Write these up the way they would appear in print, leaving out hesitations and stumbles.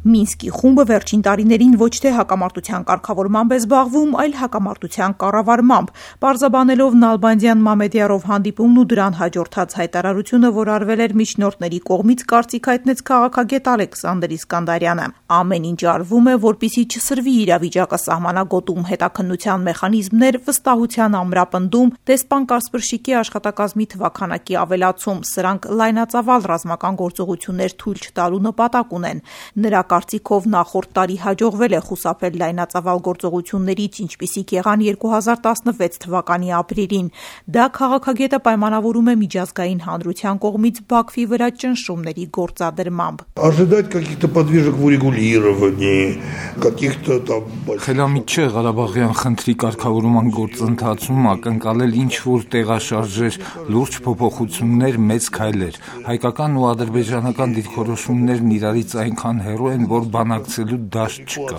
Մինսկի խումբը վերջին տարիներին ոչ թե հակամարտության կարգավորմամբ է զբաղվում, այլ հակամարտության կառավարմամբ, պարզաբանելով Նալբանդյան Մամեդյարով հանդիպումն ու դրան հաջորդած հայտարարությունը, որ արվել էր միջնորդների կողմից, կարծիք հայտնեց քաղաքագետ Ալեքսանդր Իսկանդարյանը։ Ամեն ինչ արվում է, որպեսզի չսրվի իրավիճակը սահմանագոտում, հետաքննության մեխանիզմներ, վստահության ամրապնդում, դեսպան Կասպրշիկի աշխատակազմի թվաքանակի ավելացում, սրանք լայնածավալ ռազմական գործողություններ թույլ չտալու նպատակ ունեն։ Նրա կարծիքով նախորդ տարի հաջողվել է խուսափել լայնածավալ գործողություններից, ինչպիսիք եղան 2016 թվականի ապրիլին։ Դա քաղաքագետը պայմանավորում է միջազգային հանրության կողմից Բաքվի վրա ճնշումների գործադրմամբ։ Խելամիտ չէ Ղարաբաղյան խնդրի կարգավորման գործընթացում ակնկալել ինչ-որ տեղաշարժեր, լուրջ փոփոխություններ, մեծ քայլեր։ Հայկական ու ադրբեջանական դիրքորոշումներն իրարից այնքան հեռու են, որ բանակցելու դաշտ չկա։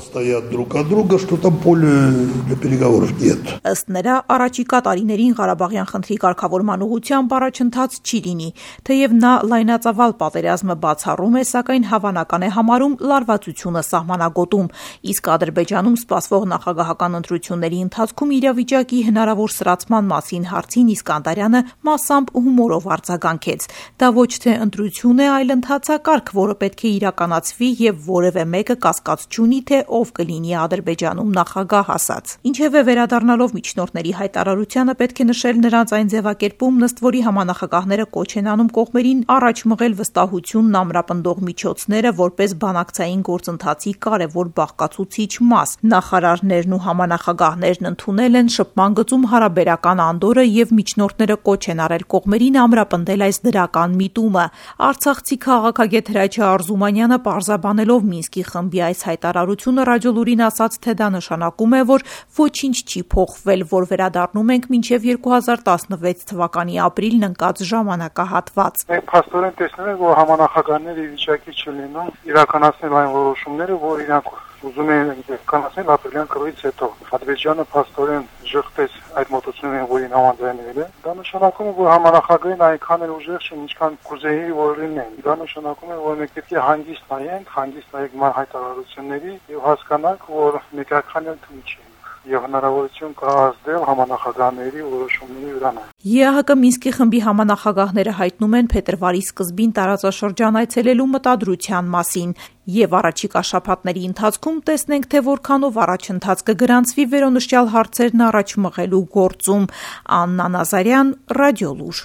Ըստ նրա, առաջիկա տարիներին Ղարաբաղյան խնդրի կարգավորման ուղղությամբ առաջընթաց չի լինի, թեև նա լայնածավալ պատերազմը բացառում է, սակայն հավանական է համարում լարվածությունը սահմանագոտում, իսկ Ադրբեջանում սպասվող նախագահական ընտրությունների ընթացքում իրավիճակի հնարավոր սրացման մասին հարցին Իսկանդարյանը մասամբ հումորով արձագանքեց։ Դա ոչ թե ընտրություն է, այլ ընթացակարգ, որը պետք է իրականացվի եւ որևէ մեկը կասկած չունի, թե ով կլինի Ադրբեջանում նախագահ ասաց։ Ինչևէ, վերադառնալով միջնորդների հայտարարությանը, պետք է նշել նրանց այն ձևակերպումն, ըստ որի համանախագահները կոչ են անում կողմերին առաջ մղել վստահությունն ամրապնդող միջոցները որպես բանակցային գործընթացի կարևոր բաղկացուցիչ մաս։ Նախարարներն ու համանախագահներն ընդունել են շփման գծում հարաբերական անդորրը եւ միջնորդները կոչ են արել կողմերին ամրապնդել այս դրական միտումը։ Արցախցի քաղաքագետ Հրաչյա Արզումանյանը պարզաբանելով Մինսկի խմբի այս հայտարարությունը Ռադիոլուրին ասաց, թե դա նշանակում է, որ ոչինչ չի փոխվել, որ վերադառնում ենք մինչև 2016 թվականի ապրիլն ընկած ժամանակահատված։ Մենք փաստորեն տեսնում ենք, որ համանախագահները ի վիճակի չլինում իրականացնել այն որոշումները, որ իրանք ուզում են իրականացնել ապրիլյան կռվից հետո։ Ադրբեջանը փաստորեն ժխտեց այդ մոտեցումներին, որին համաձայնվել է։ Դա նշանակում է, որ համանախագահին այնքան էլ ուժեղ չեն, ինչքան կուզեի, որ լինեն։ Դա նշանակում է, որ մենք պետք է հանգիստ նայենք ման հայտարարությունների եւ հասկանանք, որ մեկ այդքան էլ թույլ չի եւ հնարավորություն կա ազդել համանախագահների որոշումների վրա։ ԵԱՀԿ Մինսկի խմբի համանախագահները հայտնում են փետրվարի սկզբին տարածաշրջան այցելելու մտադրության մասին եւ առաջիկա շաբաթների ընթացքում տեսնենք, թե որքանով առաջընթաց կգրանցվի վերոնշյալ հարցերն առաջ մղելու գործում։ Աննա Նազարյան, Ռադիոլուր։